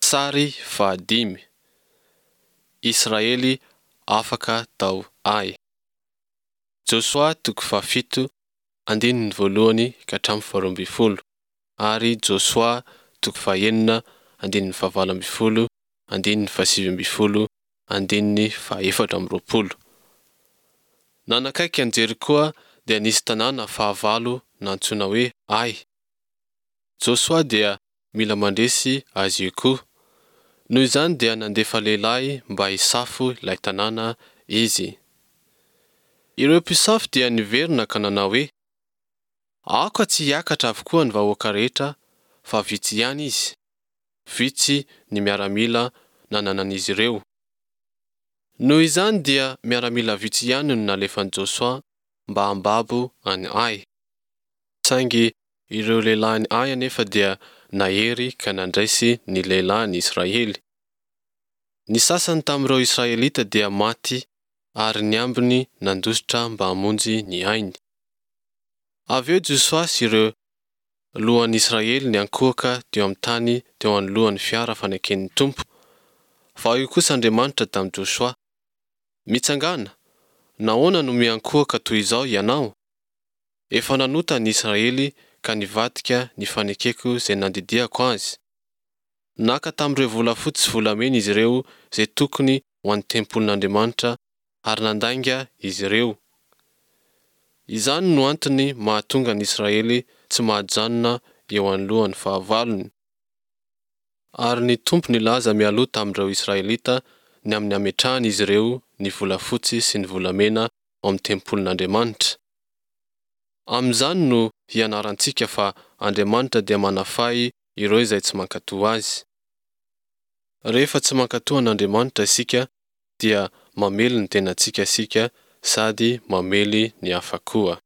Sary fahadimy. Israely afaka tao Ay. Josoa toko fahafito, andininy voalohany ka hatramin'ny faharoa ambin'ny folo ary Josoa toko fahenina, andininy fahavalo ambin'ny folo, andininy fahasivy ambin'ny folo, andininy fahefatra amby roapolo. Nanakaiky an'i Jerikoa dia nisy tanàna fahavalo nantsoina hoe Ay. Josoa dia mila mandresy azy io koa. Noho izany dia nandefa lehilahy mba hisafo ilay tanàna izy. Ireo mpisafo dia niverina ka nanao hoe, Aoka tsy hiakatra avokoa ny vahoaka rehetra fa vitsy ihany izy. Vitsy ny miaramila nananan'izy ireo. Noho izany dia miaramila vitsy ihany no nalefan'i Josoa mba hambabo an'i Ay. Saingy ireo lehilahin'i Ay anefa dia nahery ka nandresy ny lehilahin'i Israely. Ny sasany tamin'ireo Israelita dia maty ary ny ambiny nandositra mba hamonjy ny ainy. Avy eo Josoa sy ireo lohan'ny Israely niankohoka teo amin'ny tany teo anoloan'ny fiara faneken'ny Tompo. Fa hoy kosa Andriamanitra tamin'i Josoa, Mitsangàna! Nahoana no miankohoka toy izao ianao? Efa nanota ny Israely ka nivadika ny fanekeko izay nandidiako azy. Naka tamin'ireo volafotsy sy volamena izy ireo izay tokony ho an'ny tempolin'Andriamanitra ary nandainga izy ireo. Izany no antony mahatonga ny Israely tsy mahajanona eo anoloan'ny fahavalony. Ary ny Tompo nilaza mialoha tamin'ireo Israelita ny amin'ny hametrahan'izy ireo ny volafotsy sy ny volamena ao amin'ny tempolin'Andriamanitra. Amin'izany no hianarantsika fa Andriamanitra dia manafay ireo izay tsy mankatò Azy. Rehefa tsy mankatò an'Andriamanitra isika dia mamely ny tenantsika isika sady mamely ny hafa koa.